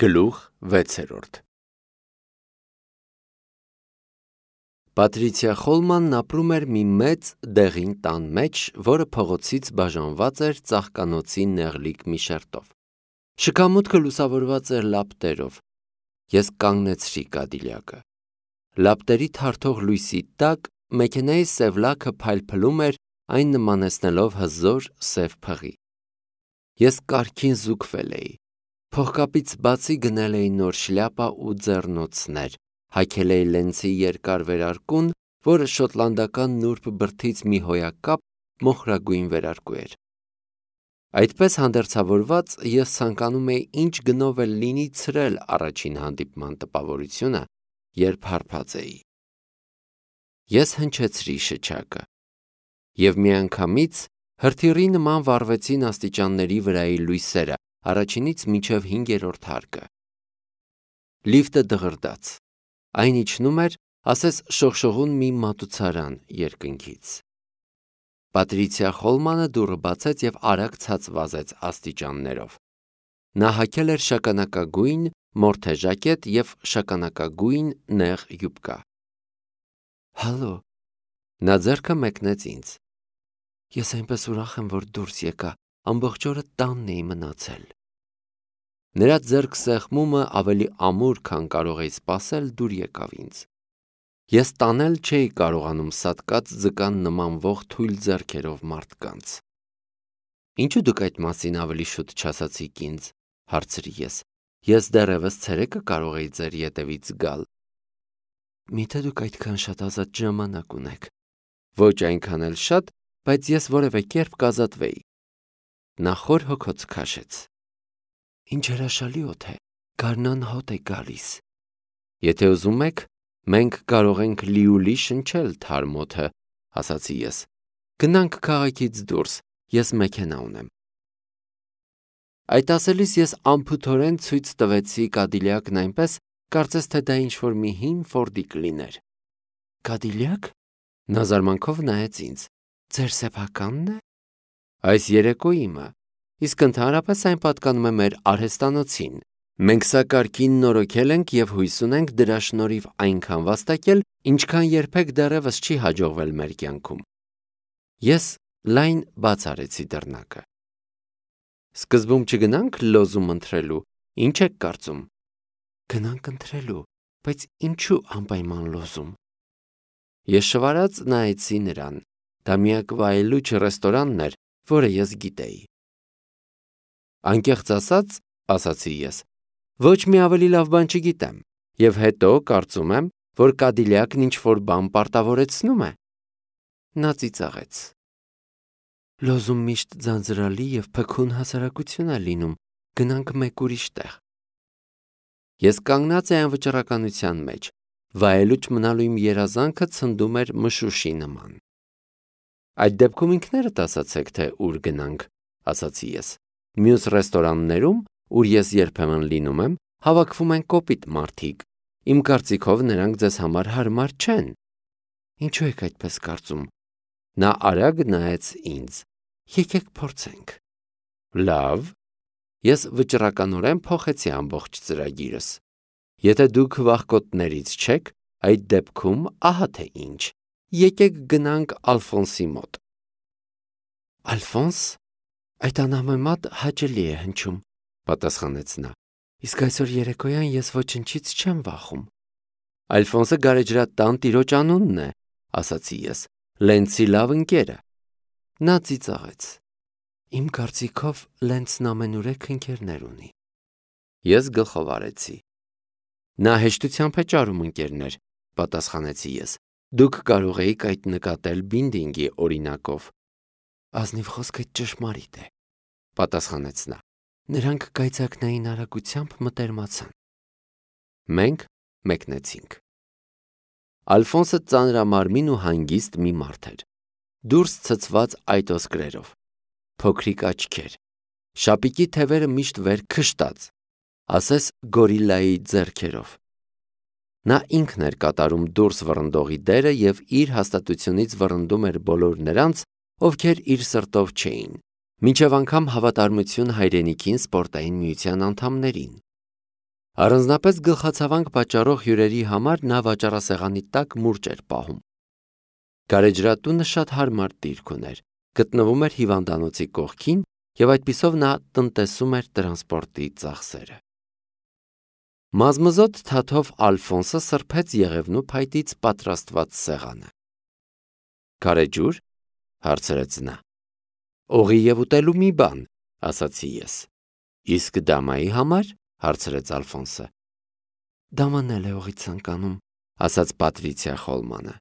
Գլուխ 6 Պատրիցիա Խոլմանն ապրում էր մի մեծ դեղին տան մեջ, որը փողոցից բաժանված էր ծաղկանոցի նեղլիկ մի շերտով։ Շքամուտքը լուսավորված էր լապտերով։ Ես կանգնեցրի կադիլյակը։ Լապտերի թարթող լույսի տակ մեքենայի սև լաքը փայլփլում էր, այն նմանեցնելով հզոր սև փղի։ Ես կարգին զուգվել էի։ Փողկապից բացի գնել էի նոր շլյապա ու ձեռնոցներ, հագել էի լենցի երկար վերարկուն, որը շոտլանդական նուրբ բրդից մի հոյակապ մոխրագույն վերարկու էր։ Այդպես հանդերձավորված ես ցանկանում էի ինչ գնով էլ լինի ցրել առաջին հանդիպման տպավորությունը, երբ հարբած էի։ Ես հնչեցրի շչակը, և միանգամից հրթիռի նման վառվեցին աստիճանների վրայի լույսերը, առաջինից մինչև 5-րդ հարկը։ Լիֆտը դղրդաց։ Այն իջնում էր, ասես շողշողուն մի մատուցարան երկնքից։ Պատրիցիա Խոլմանը դուռը բացեց և արագ ցած վազեց աստիճաններով։ Նա հագել էր շագանակագույն մորթե ժակետ և շագանակագույն նեղ յուբկա։ Հալո։ Նա ձեռքը մեկնեց ինձ։ Ես այնպես ուրախ եմ, որ դուրս եկա, ամբողջ օրը տանն էի մնացել։ Նրա ձեռքսեղմումը ավելի ամուր, քան կարող էի սպասել, դուր եկավ ինձ։ Ես տանել չէի կարողանում սատկած ձկան նմանվող թույլ ձեռքերով մարդկանց։ Ինչու դուք այդ մասին ավելի շուտ չասացիք ինձ, հարցրի ես։ Ես դեռևս ցերեկը կարող էի ձեր ետևից գալ։ Միթե դուք այդքան շատ ազատ ժամանակ ունեք։ Ոչ այնքան էլ շատ, բայց ես որևէ կերպ կազատվեի։ Նա խոր հոգոց քաշեց։ Ինչ հրաշալի օդ է, գարնան հոտ է գալիս։ Եթե ուզում եք, մենք կարող ենք լիուլի շնչել թարմ օդը, ասացի ես։ Գնանք քաղաքից դուրս, ես մեքենա ունեմ։ Այդ ասելիս ես անփութորեն ցույց տվեցի կադիլյակն այնպես, կարծես թե դա ինչ-որ մի հին ֆորդիկ լիներ։ Կադիլյակ։ Նա զարմանքով նայեց ինձ։ Ձեր սեփականն է։ Այս երեկո իմը, իսկ ընդհանրապես այն պատկանում է մեր արհեստանոցին։ Մենք սա կարգին նորոգել ենք և հույս ունենք դրա շնորհիվ այնքան վաստակել, ինչքան երբեք դեռևս չի հաջողվել մեր կյանքում։ Ես լայն բաց արեցի դռնակը։ Սկզբում չգնանք լոզում ընտրելու, ինչ եք կարծում։ Գնանք ընտրելու, բայց ինչու անպայման լոզում։ Ես շվարած նայեցի նրան։ Դա միակ վայելուչ ռեստորանն էր, որը ես գիտեի։ Անկեղծ ասած, ասացի ես, ոչ մի ավելի լավ բան չգիտեմ, և հետո կարծում եմ, որ կադիլյակն ինչ-որ բան պարտավորեցնում է։ Նա ծիծաղեց։ Լոզում միշտ ձանձրալի և փքուն հասարակություն է լինում, գնանք մեկ ուրիշ տեղ։ Ես կանգնած էի անվճռականության մեջ, վայելուչ մնալու իմ երազանքը ցնդում էր մշուշի նման։ Այդ դեպքում ինքներդ ասացեք, թե ուր գնանք, ասացի ես։ Մյուս ռեստորաններում, ուր ես երբեմն լինում եմ, հավաքվում են կոպիտ մարդիկ։ Իմ կարծիքով նրանք ձեզ համար հարմար չեն։ Ինչու եք այդպես կարծում։ Նա արագ նայեց ինձ։ Եկեք փորձենք։ Լավ։ Ես վճռականորեն փոխեցի ամբողջ ծրագիրս։ Եթե դուք վախկոտներից չեք, այդ դեպքում ահա թե ինչ։ Եկեք գնանք Ալֆոնսի մոտ։ Ալֆոնս։ Այդ անհամեմատ հաճելի է հնչում, պատասխանեց նա։ Իսկ այսօր երեկոյան ես ոչնչից չեմ վախում։ Ալֆոնսը գարեջրատան տիրոջ անունն է, ասացի ես, Լենցի լավ ընկերը։ Նա ծիծաղեց։ Իմ կարծիքով Լենցն ամենուրեք ընկերներ ունի։ Ես գլխով արեցի։ Նա հեշտությամբ է ճարում ընկերներ, պատասխանեցի ես։ Դուք կարող էիք այդ նկատել Բինդինգի օրինակով։ Ազնիվ խոսքը ճշմարիտ է, պատասխանեց նա։ Նրանք կայծակնային արագությամբ մտերմացան։ Մենք մեկնեցինք։ Ալֆոնսը ծանրամարմին ու հանգիստ մի մարդ էր։ Դուրս ցցված այտոսկրերով, փոքրիկ աչքեր, շապիկի թևերը միշտ վեր քշտած, ասես գորիլայի ձեռքերով։ Նա ինքն էր կատարում դուրս վռնդողի դերը և իր հաստատությունից վռնդում էր բոլոր նրանց, ովքեր իր սրտով չէին, մինչև անգամ հավատարմություն հայրենիքին սպորտային միության անդամներին։ Առանձնապես գլխացավանք պատճառող հյուրերի համար նա վաճառասեղանի տակ մուրճ էր պահում։ Գարեջրատունը շատ հարմար դիրք ուներ, գտնվում էր հիվանդանոցի կողքին և այդպիսով նա տնտեսում էր տրանսպորտի ծախսերը։ Մազմզոտ թաթով Ալֆոնսը սրբեց եղևնու փայտից պատրաստված սեղանը։ «Գարեջուր», հարցրեց նա։ «Օղի և ուտելու մի բան», ասացի ես։ «Իսկ դամայի համար», հարցրեց Ալֆոնսը։ «Դաման էլ է օղի ցանկանում», ասաց Պատրիցիա Խոլմանը։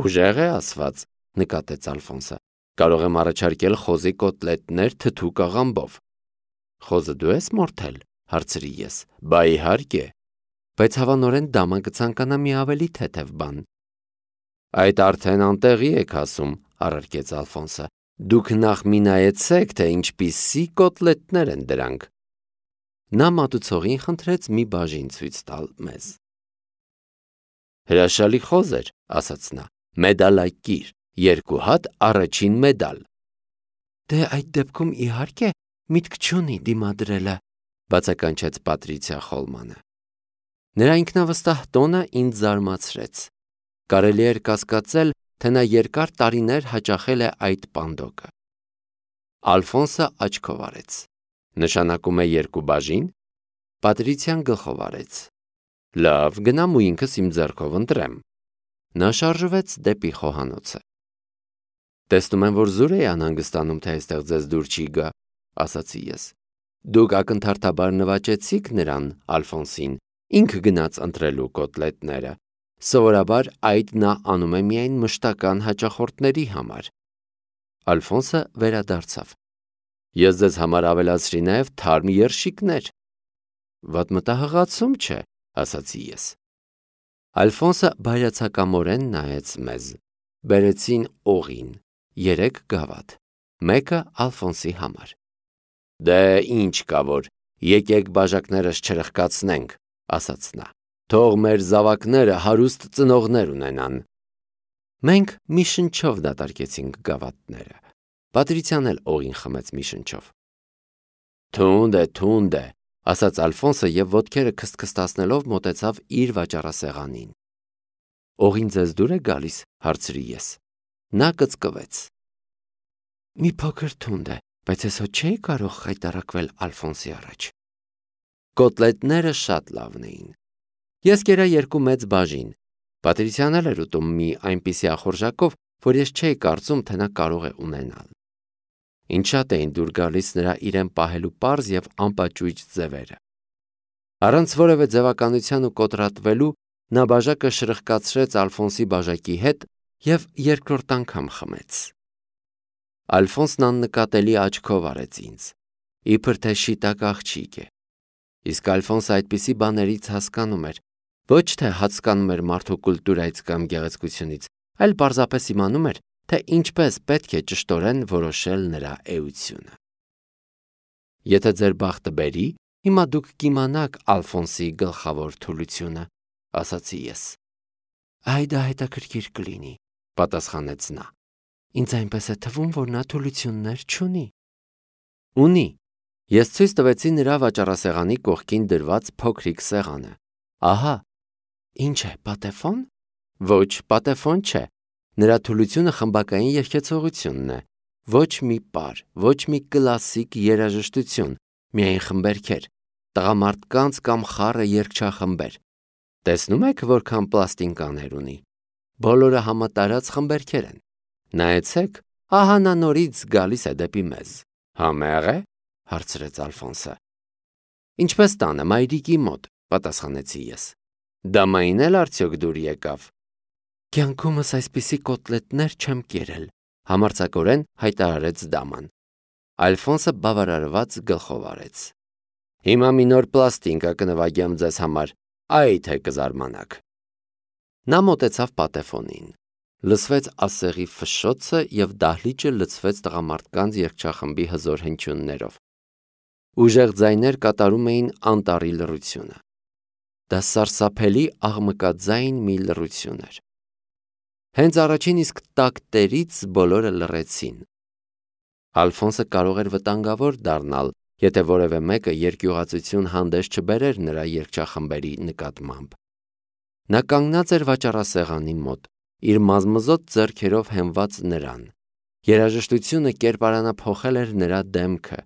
«Ուժեղ է ասված», նկատեց Ալֆոնսը։ «Կարող եմ առաջարկել խոզի կոտլետներ թթու աղամբով»։ «Խոզը դու ես մորթել», հարցրի ես։ «Բա իհարկե»։ «Բայց հավանորեն դամա կցանկանա մի ավելի թեթև բան»։ «Այդ արդեն անտեղի եք ասում», առարկեց Ալֆոնսը։ «Դուք նախ մի նայեցեք, թե ինչպիսի կոտլետներ են դրանք»։ Նա մատուցողին խնդրեց մի բաժին ցույց տալ մեզ։ «Հրաշալի խոզ էր», ասաց նա, «մեդալակիր, 2 հատ առաջին մեդալ»։ «Դե այդ դեպքում իհարկե միտք չունի դիմադրելը», բացականչեց Պատրիցիա Խոլմանը։ Նրա ինքնավստահ տոնը ինձ զարմացրեց։ Կարելի էր կասկածել, թե նա երկար տարիներ հաճախել է այդ պանդոկը։ Ալֆոնսը աչքով արեց։ «Նշանակում է 2 բաժին»։ Պատրիցիան գլխով արեց։ «Լավ, գնամ ու ինքս իմ ձեռքով ընտրեմ»։ Նա շարժվեց դեպի խոհանոցը։ «Տեսնում եմ, որ զուր էի անհանգստանում, թե այստեղ ձեզ դուր չի գա», ասացի ես։ «Դուք ակնթարթաբար նվաճեցիք նրան, Ալֆոնսին, ինքը գնաց ընտրելու կոտլետները։ Սովորաբար այդ նա անում է միայն մշտական հաճախորդների համար»։ Ալֆոնսը վերադարձավ։ «Ես ձեզ համար ավելացրի նաև թարմ երշիկներ»։ «Վատ մտահղացում չէ», ասացի ես։ Ալֆոնսը բայրացակամորեն նայեց մեզ։ Բերեցին օղին, 3 գավաթ, մեկը Ալֆոնսի համար։ «Դե ինչ կա որ, եկեք բաժակներս չրխկացնենք», ասաց նա։ «Թող մեր զավակները հարուստ ծնողներ ունենան»։ Մենք մի շնչով դատարկեցինք գավաթները։ Պատրիցիան էլ օղին խմեց մի շնչով։ Թունդ է, ասաց Ալֆոնսը և ոտքերը քստքստացնելով մոտեցավ իր վաճառասեղանին։ «Օղին ձեզ դուր է գալիս», հարցրի ես։ Նա կծկվեց։ «Մի փոքր թունդ է, բայց ես հո չէի կարող խայտառակվել Ալֆոնսի առաջ»։ Կոտլետները շատ լավն էին։ Ես կերա 2 մեծ բաժին։ Պատրիցիան էլ էր ուտում մի այնպիսի ախորժակով, որ ես չէի կարծում, թե նա կարող է ունենալ։ Ինչ շատ էին դուր գալիս նրա իրեն պահելու պարզ և անպաճույճ ձևերը։ Առանց որևէ ձևականության ու կոտրատվելու նա բաժակը շրխկացրեց Ալֆոնսի բաժակի հետ և երկրորդ անգամ խմեց։ Ալֆոնսն աննկատելի աչքով արեց ինձ, իբր թե շիտակ աղջիկ է։ Իսկ Ալֆոնսը այդպիսի բաներից հասկանում էր, ոչ թե հասկանում էր մարդու կուլտուրայից կամ գեղեցկությունից, այլ պարզապես իմանում էր, թե ինչպես պետք է ճշտորեն որոշել նրա էությունը։ «Եթե ձեր բախտը բերի, հիմա դուք կիմանաք Ալֆոնսի գլխավոր թուլությունը», ասացի ես։ «Դա հետաքրքիր կլինի», պատասխանեց նա։ «Ինձ այնպես է թվում, որ նա թուլություններ չունի»։ Ունի։ Ես ցույց տվեցի նրա վաճառասեղանի կողքին դրված փոքրիկ սեղանը։ Ահա։ Ինչ է, պատեֆոն։ Ոչ, պատեֆոն չէ։ Նրա թուլությունը խմբակային երգեցողությունն է։ Ոչ մի պար, ոչ մի կլասիկ երաժշտություն, միայն խմբերքեր, տղամարդկանց կամ խառը երգչախմբեր։ Տեսնում եք որքան պլաստինկաներ ունի։ Բոլորը համատարած խմբերքեր են։ Նայեցեք, ահա նա նորից գալիս է դեպի մեզ։ Համե՞ղ է, հարցրեց Ալֆոնսը։ Ինչպես տանը, մայրիկի մոտ, պատասխանեցի ես։ Դամային էլ արդյոք դուր եկավ։ Կյանքումս այսպիսի կոտլետներ չեմ կերել, համարձակորեն հայտարարեց դաման։ Ալֆոնսը բավարարված գլխով արեց։ Հիմա մի նոր պլաստինկա կնվագեմ ձեզ համար, այ թե կզարմանաք։ Նա մոտեցավ պատեֆոնին։ Լսվեց ասեղի ֆշշոցը և դահլիճը լցվեց տղամարդկանց երգչախմբի հզոր հնչյուններով։ Ուժեղ ձայներ կատարում էին անտառի լռությունը։ Դա սարսափելի աղմկաձայն մի լռություն էր։ Հենց առաջին իսկ տակտերից բոլորը լռեցին։ Ալֆոնսը կարող էր վտանգավոր դառնալ, եթե որևէ մեկը երկյուղածություն հանդես չբերեր նրա երգչախմբերի նկատմամբ։ Նա կանգնած էր վաճառասեղանի մոտ, իր մազմզոտ ձեռքերով հենված նրան։ Երաժշտությունը կերպարանափոխել էր նրա դեմքը։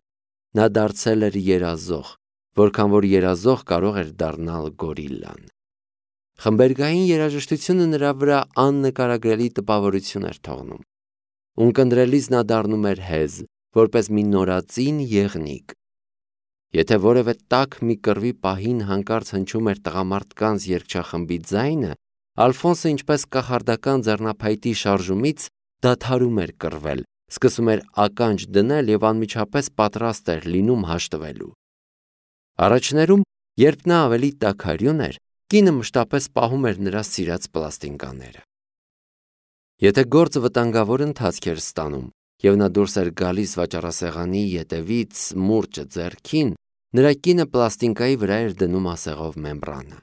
Նա դարձել էր երազող, որքան որ երազող կարող էր դառնալ գորիլլան։ Խմբերգային երաժշտությունը նրա վրա աննկարագրելի տպավորություն էր թողնում։ Ունկնդրելիս նա դառնում էր հեզ, որպես մի նորածին եղնիկ։ Եթե որևէ տաք մի կռվի պահին հանկարծ հնչում էր տղամարդկանց երգչախմբի ձայնը, Ալֆոնսը ինչպես կախարդական ձեռնափայտի շարժումից դադարում էր կռվել, սկսում էր ականջ դնել և անմիջապես պատրաստ էր լինում հաշտվելու։ Առաջներում, երբ նա ավելի տաքարյուն էր, կինը մշտապես պահում էր նրա սիրած պլաստինկաները։ Եթե գործը վտանգավոր ընթացք էր ստանում, և նա դուրս էր գալիս վաճառասեղանի ետևից մուրճը ձեռքին, նրա կինը պլաստինկայի վրա էր դնում ասեղով մեմբրանը։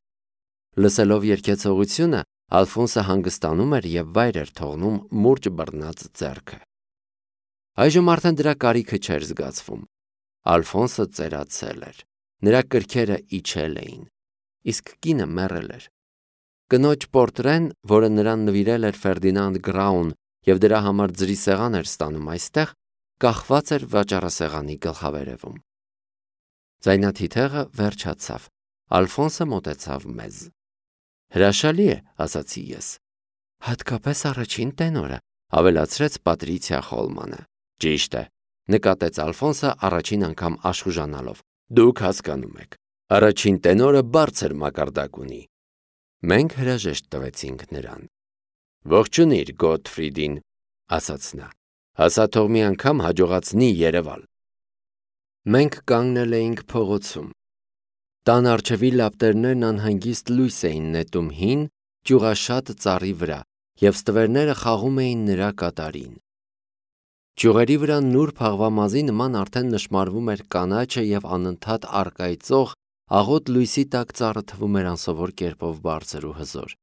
Լսելով երգեցողությունը, Ալֆոնսը հանգստանում էր և վայր էր թողնում մուրճ բռնած ձեռքը։ Այժմ արդեն դրա կարիքը չէր զգացվում։ Ալֆոնսը ծերացել էր։ Նրա կրքերը իջել էին, իսկ կինը մեռել էր։ Կնոջ պորտրեն, որը նրան նվիրել էր Ֆերդինանդ Գրաուն և դրա համար ձրի սեղան էր ստանում այստեղ, կախված էր վաճառասեղանի գլխավերևում։ Ձայնաթիթեղը վերջացավ։ Ալֆոնսը մոտեցավ մեզ։ Հրաշալի է, ասացի ես։ Հատկապես առաջին տենորը, ավելացրեց Պատրիցիա Խոլմանը։ Ճիշտ է, նկատեց Ալֆոնսը առաջին անգամ աշխուժանալով։ Դուք հասկանում եք, առաջին տենորը բարձր մակարդակ ունի։ Մենք հրաժեշտ տվեցինք նրան։ Ողջունիր Գոթֆրիդին, ասաց նա։ Հասա թող մի անգամ հաջողացնի երևալ։ Մենք կանգնել էինք փողոցում։ Տան առջևի լապտերներն անհանգիստ լույս էին նետում հին, ճյուղաշատ ծառի վրա, և ստվերները խաղում էին նրա կատարին։ Ճյուղերի վրա նուրբ աղվամազի նման արդեն նշմարվում էր կանաչը և անընդհատ առկայծող աղոտ լույսի տակ ծառը թվում էր անսովոր կերպով բարձր ու հզոր։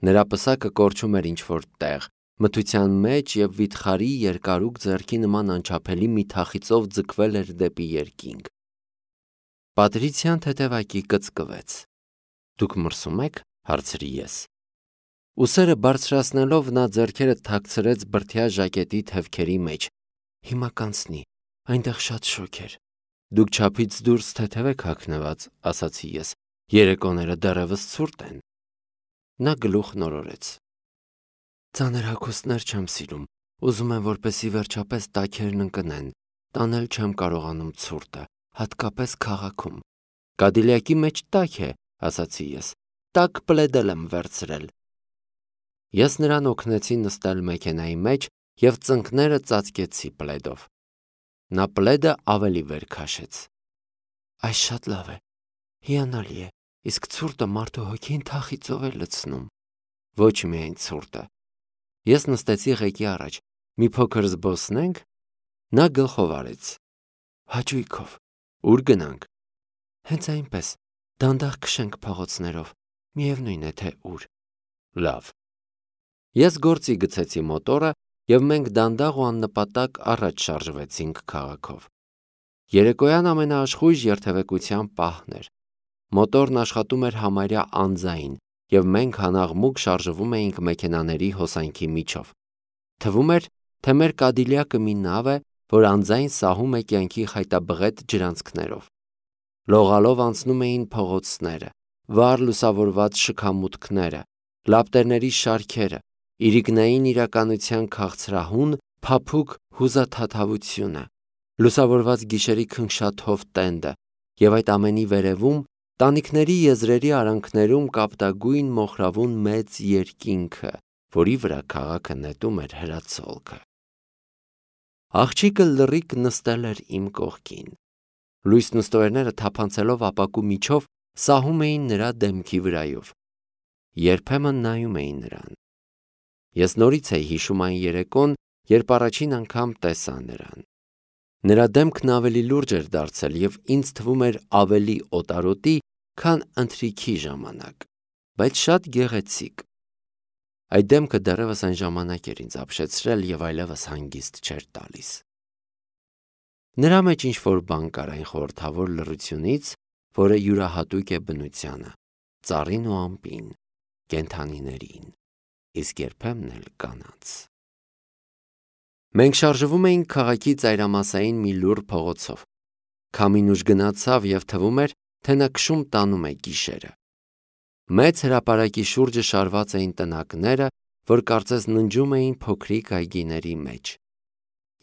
Նրա պսակը կորչում էր ինչ-որ տեղ, մթության մեջ և վիթխարի երկարուկ ձեռքի նման անչափելի մի թախիծով ձգվել էր դեպի երկինք։ Պատրիցիան թեթևակի կծկվեց։ Դուք մրսում եք, հարցրի ես։ Ուսերը բարձրացնելով նա ձեռքերը թաքցրեց բրդյա ժակետի թևքերի մեջ։ Հիմա կանցնի, այնտեղ շատ շոգ էր։ Դուք չափից դուրս թեթև եք հագնված, ասացի ես, երեկոները դեռևս ցուրտ են։ Նա գլուխ նորորեց։ Ծանր հագուստներ չեմ սիրում, ուզում եմ, որպեսզի վերջապես տաքերն ընկնեն, տանել չեմ կարողանում ցուրտը, հատկապես քաղաքում։ Կադիլյակի մեջ տաք է, ասացի ես, տաք պլեդել եմ վերցրել։ Ես նրան օգնեցի նստել մեքենայի մեջ և ծնկները ծածկեցի պլեդով։ Նա պլեդը ավելի վեր քաշեց։ Այս շատ լավ է, հիանալի է, իսկ ցուրտը մարդու հոգին թախիծով է լցնում։ Ոչ միայն ցուրտը։ Ես նստեցի ղեկի առաջ, մի փոքր զբոսնենք։ Նա գլխով արեց։ Հաճույքով։ Ուր գնանք։ Հենց այնպես, դանդաղ քշենք փողոցներով, միևնույն է թե ուր։ Լավ։ Ես գործի գցեցի մոտորը, և մենք դանդաղ ու աննպատակ առաջ շարժվեցինք քաղաքով։ Երեկոյան ամենաաշխույժ երթևեկության պահն էր։ Մոտորն աշխատում էր համարյա անձայն, և մենք հանաղմուկ շարժվում էինք մեքենաների հոսանքի միջով։ Թվում էր, թե մեր Կադիլյակը մի նավ է, որ անձայն սահում է կյանքի խայտաբղետ ջրանցքներով։ Լողալով անցնում էին փողոցները, վառ լուսավորված շքամուտքները, լապտերների շարքերը, իրիկնային իրականության քաղցրահուն, փափուկ հուզաթաթավությունը, լուսավորված գիշերի քնքշաթով տենդը, և այդ ամենի վերևում տանիքների եզրերի արանքներում կապտագույն մոխրավուն մեծ երկինքը, որի վրա քաղաքը նետում էր հրացոլքը։ Աղջիկը լռիկ նստել էր իմ կողքին։ Լույսն ու ստվերները թափանցելով ապակու միջով սահում էին նրա դեմքի վրայով։ Երբեմն նայում էի նրան։ Ես նորից էի հիշում այն երեկոն, երբ առաջին անգամ տեսա նրան։ Նրա դեմքն ավելի լուրջ էր դարձել և ինձ թվում էր ավելի օտարոտի, քան ընթրիքի ժամանակ, բայց շատ գեղեցիկ։ Այդ դեմքը դեռևս այն ժամանակ էր ինձ ապշեցրել և այլևս հանգիստ չէր տալիս։ Նրա մեջ ինչ-որ բան կար այն խորհրդավոր լռությունից, որը յուրահատուկ է բնությանը, ծառին ու ամպին, կենդանիներին, իսկ երբեմն էլ կանանց։ Մենք շարժվում էինք քաղաքի ծայրամասային մի լուռ փողոցով։ Քամին ուժ գնացավ և թվում էր, թե նա քշում տանում է գիշերը։ Մեծ հրապարակի շուրջը շարված էին տնակները, որ կարծես ննջում էին փոքրիկ այգիների մեջ։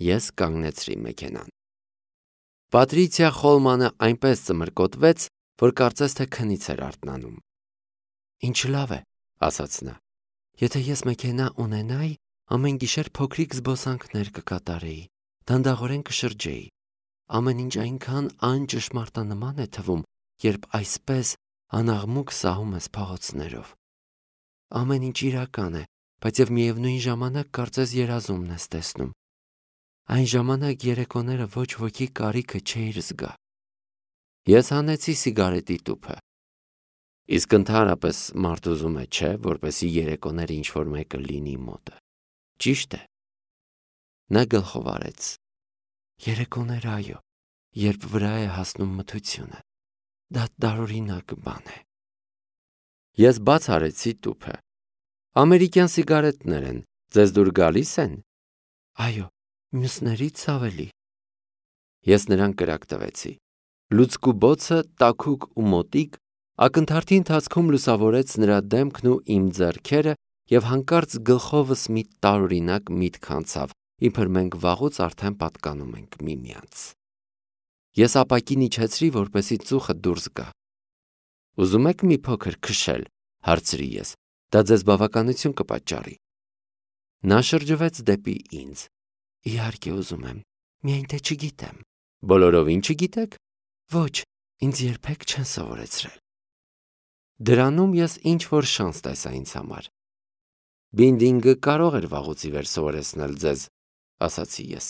Ես կանգնեցրի մեքենան։ Պատրիցիա Խոլմանը այնպես ծմրկոտվեց, որ կարծես թե քնից էր արթնանում։ «Ինչ լավ է», ասաց նա։ «Եթե ես մեքենա ունենայի, ամեն գիշեր փոքրիկ զբոսանքներ կկատարեի, դանդաղորեն կշրջեի։ Ամեն ինչ այնքան անճշմարտանման է թվում, երբ այսպես անաղմուկ սահում ես փողոցներով։ Ամեն ինչ իրական է, բայց և միևնույն ժամանակ կարծես երազումն ես տեսնում։ Այն ժամանակ երեկոները ոչ ոքի կարիքը չէիր զգա»։ Ես հանեցի սիգարետի տուփը։ Իսկ ընդհանրապես մարդ ուզում է, չէ, որպեսզի երեկոները ինչ-որ մեկը լինի մոտը։ Ճիշտ է։ Նա գլխով արեց։ Երեկոներ, այո, երբ վրա է հասնում մթությունը։ Դա տարօրինակ բան է։ Ես բաց արեցի տուփը։ Ամերիկյան սիգարետներ են, ձեզ դուր գալիս են։ Այո, մյուսներից ավելի։ Ես նրան կրակ տվեցի։ Լուցկու բոցը, տաքուկ ու մոտիկ, ակնթարթի ընթացքում լուսավորեց նրա դեմքն ու իմ ձեռքերը, և հանկարծ գլխովս մի տարօրինակ միտք անցավ, իբր մենք վաղուց արդեն պատկանում ենք միմյանց։ Ես ապակին իջեցրի, որպեսզի ծուխը դուրս գա։ «Ուզում եք մի փոքր քշել», հարցրի ես։ «Դա ձեզ բավականություն կպատճառի»։ Նա շրջվեց դեպի ինձ։ «Իհարկե ուզում եմ, միայն թե չգիտեմ»։ «Բոլորովին չգիտեք»։ «Ոչ, ինձ երբեք չեն սովորեցրել»։ Դրանում ես ինչ-որ շանս տեսա ինձ համար։ «Բինդինգը կարող էր վաղուց ի վեր սովորեցնել ձեզ», ասացի ես։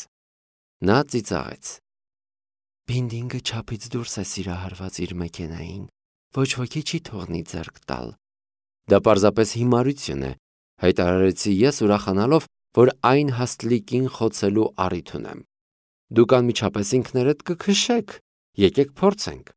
Նա ծիծաղեց։ «Բինդինգը չափից դուրս է սիրահարված իր մեքենային, ոչ ոքի չի թողնի ձեռք տալ»։ «Դա պարզապես հիմարություն է», հայտարարեցի ես, ուրախանալով, որ այն հաստլիկին խոցելու առիթ ունեմ։ «Դուք անմիջապես ինքներդ կքշեք, եկեք փորձենք»։